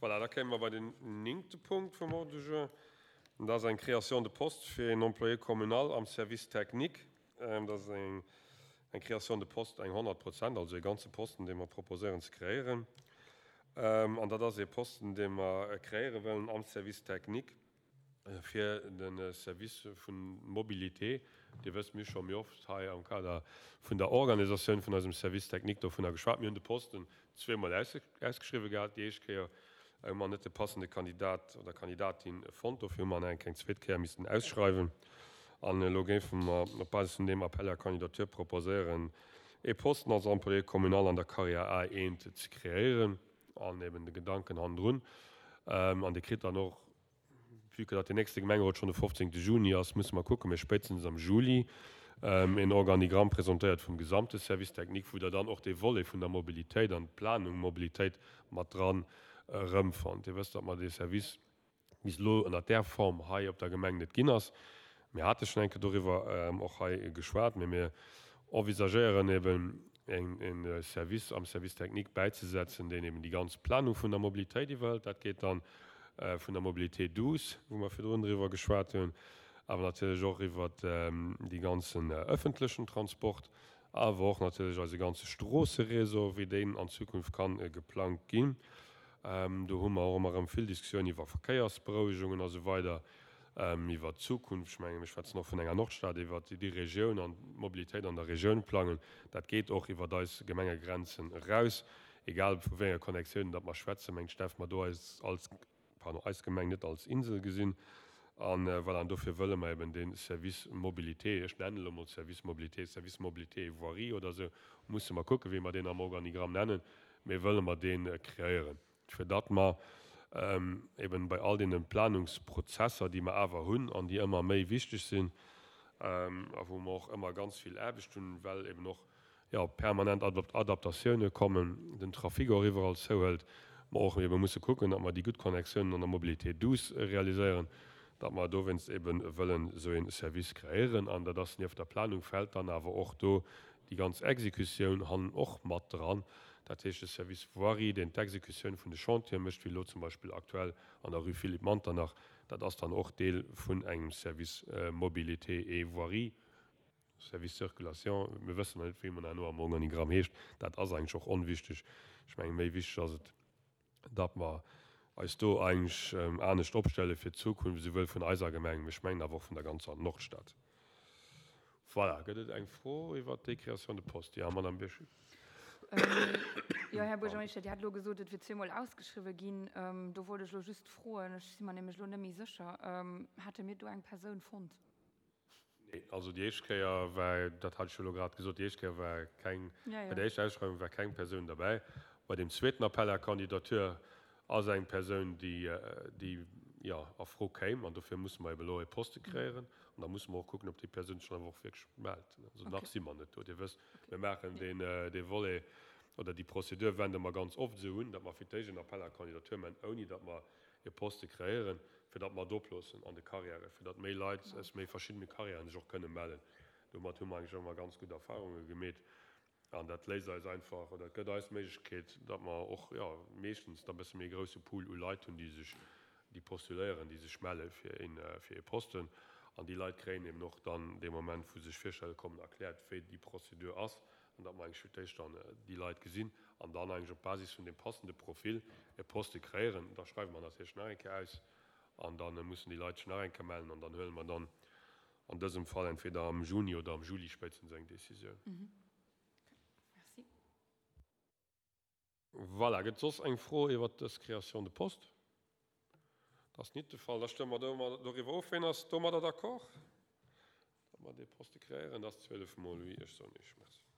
Voilà, da kéime mer bei den néngte Punkt vum Ordre du jour. Dat ass eng Création de poste fir een Employé communal am Service technique. Dat ass eng Création de poste, eng 100 Prozent, also ee ganze Posten, dee mer proposéieren ze kreéieren. An dat ass ee Posten, dee mer kreéiere wëllen am Service technique fir de Service vun Mobilité. Dir wësst, mir hu scho méi oft hei am Kader vun der Organisatioun vun eisem Service technique dovunner geschwat. Mir hunn de Posten zweemol ausgeschriwwen gehat. Déi éischt Kéier hu mer net de passende Kandidat oder Kandidatin fonnt. Dofir hu mer en eng zweet Kéier missten ausschreiwen. An elo géife mer op Basis vun deem Appel à candidature proposéieren, ee Posten als Employé communal an der Carrière A1 ze kreéieren an eben de Gedanken hannendrun. An Dir kritt dann och Vue que datt deen nächste Gemengerot schonn de 15 Juni ass, musse mer kucken, mee spéitstens am Juli een Organigramm presentéiert vum gesamte Service technique, wou Der dann och dee Volet vun der Mobilitéit an d'Planung Mobilitéit mat dran erëmfannt. Dir wësst, datt mer dee Service bis elo ënnert där Form hei op der Gemeng net ginn ass. Mir hate schonn eng Kéier doriwwer och hei geschwat, mee mir envisagéieren eben een Service am Service technique bäizesetzen, deen eben déi ganz Planung vun der Mobilitéit iwwerhëlt. Dat geet dann vun der Mobilité douce, wou mer virdrun driwwer geschwat hunn, awer natierlech och iwwert dee ganzen ëffentlechen Transport, awer och natierlech eise ganze Stroosseréseau, wéi deen an Zukunft kann geplangt ginn. Do hu mer och ëmmer erëm vill Diskussioun iwwer Verkéiersberouegungen a sou weider. Iwwert d'Zukunft, ech mengen, mir schwätzen och vun enger Nordstad, iwwert déi Regioun an d'Mobilitéit an der Regioun plangen, dat geet och iwwert eis Gemengegrenzen eraus. Egal vu wéi enger Connectioun datt mer schwätzen, mengt ech, däerfe mer do eis als, pardon, eis Gemeng net als Insel gesinn. A voilà, an dofir wëlle mer eben dee Service Mobilité, ech nennen elo emol Service Mobilité, Service Mobilité et Voirie oder esou, musse mer kucken, wéi mer deen am Organigramm nennen, mee wëlle mer dee kreéieren. fir datt mer eben bei all deene Planungsprozesser, déi mer awer hunn an déi ëmmer méi wichteg sinn a wou mer och ëmmer ganz vill Aarbecht hunn, well eben och, jo, permanent Adaptatioune kommen, den Trafic och iwwerall zouhëlt, mer och ebe musse kucken, datt mer déi gutt Connectiounen an der Mobilité douce realiséieren, datt mer dowéinst ebe wëllen esou ee Service kreéieren. An dat ass nieft der Planung fält dann awer och do déi ganz Exekutioun hannen och mat dran, dat heescht de Service Voirie, deen d'Exekutioun vun de Chantiere mécht, wéi elo zum Beispill aktuell an der Rue Philippe Manternach, dat ass dann och Deel vun engem Service Mobilité et Voirie, Service Circulation, mir wëssen nach net, wéi en herno am Organigramm heescht, dat ass eigentlech och onwichtig. Ech mengen, méi wichteg ass et, datt mer eis do eigentlech anescht opstelle fir d'Zukunft, esouwuel vun eiser Gemeng, mee ech mengen awer och vun der ganzer Nordstad. Voilà, gëtt et eng Fro iwwert déi Création de poste? Jo, Madame Birchen. Jo, Här Buergermeeschter, Dir hat elo gesot, et wier zweemol ausgeschriwwen ginn. Do wollt ech elo just froen, ech si mer nämlech elo net méi sécher, Hate mir do eng Persoun fonnt? Nee, also déi éischt Kéier war, dat hat ech jo elo grad gesot, déi éischt Kéier war keng, bei der éischter Ausschreiwung war keng Persoun derbäi. Bei deem zweeten Appel à candidature ass eng Persoun, déi, déi, jo, a Fro kéim. An dofir musse mer eben elo e Poste kreéieren. An da musse mer och kucken, ob déi Persoun sech dann awer och wierklech mellt. Also nach si mer net do. Dir wësst, mir maachen deen, dee Volet oder déi Prozedur wende mer ganz oft esou un, datt mer fir d'éischt en Appel à candidature maachen, ouni datt mer e Poste kreéieren, fir datt mer et oploossen an de Carrièren, fir datt méi Leit aus méi verschiddene Carrièren sech och kënne mellen. Domat hu mer eigentlech ëmmer ganz gutt Erfahrunge gemeet an dat léisst eis einfach oder et gëtt eis d'Méiglechkeet, datt mer och, jo, meeschtens da e bësse méi e grousse Pool u Leit hunn, déi sech, déi postuléieren, déi sech melle fir een, fir ee Posten. An déi Leit kréien eben och dann dee Moment, wou se sech virstelle kommen, erkläert, wéi déi Prozedur ass an datt mer eigentlech fir d'éischt dann déi Leit gesinn an dann eigentlech op Basis vun deem passende Profil e Poste kreéieren. Da schreiwe mer natierlech nach eng Kéier aus an da mussen déi Leit sech nach eng Kéier mellen an dann huele mer dann an dësem Fall entweder am Juni oder am Juli spéitstens eng Décisioun. Voilà, gëtt et soss eng Fro iwwert dës Création de poste? Dat ass nit de Fall. Da stëmme mer doriwwer of. Ween ass domadder d'accord, datt mer dee Poste kreéieren? Dat ass 12 mol oui. Ech soen Iech Merci.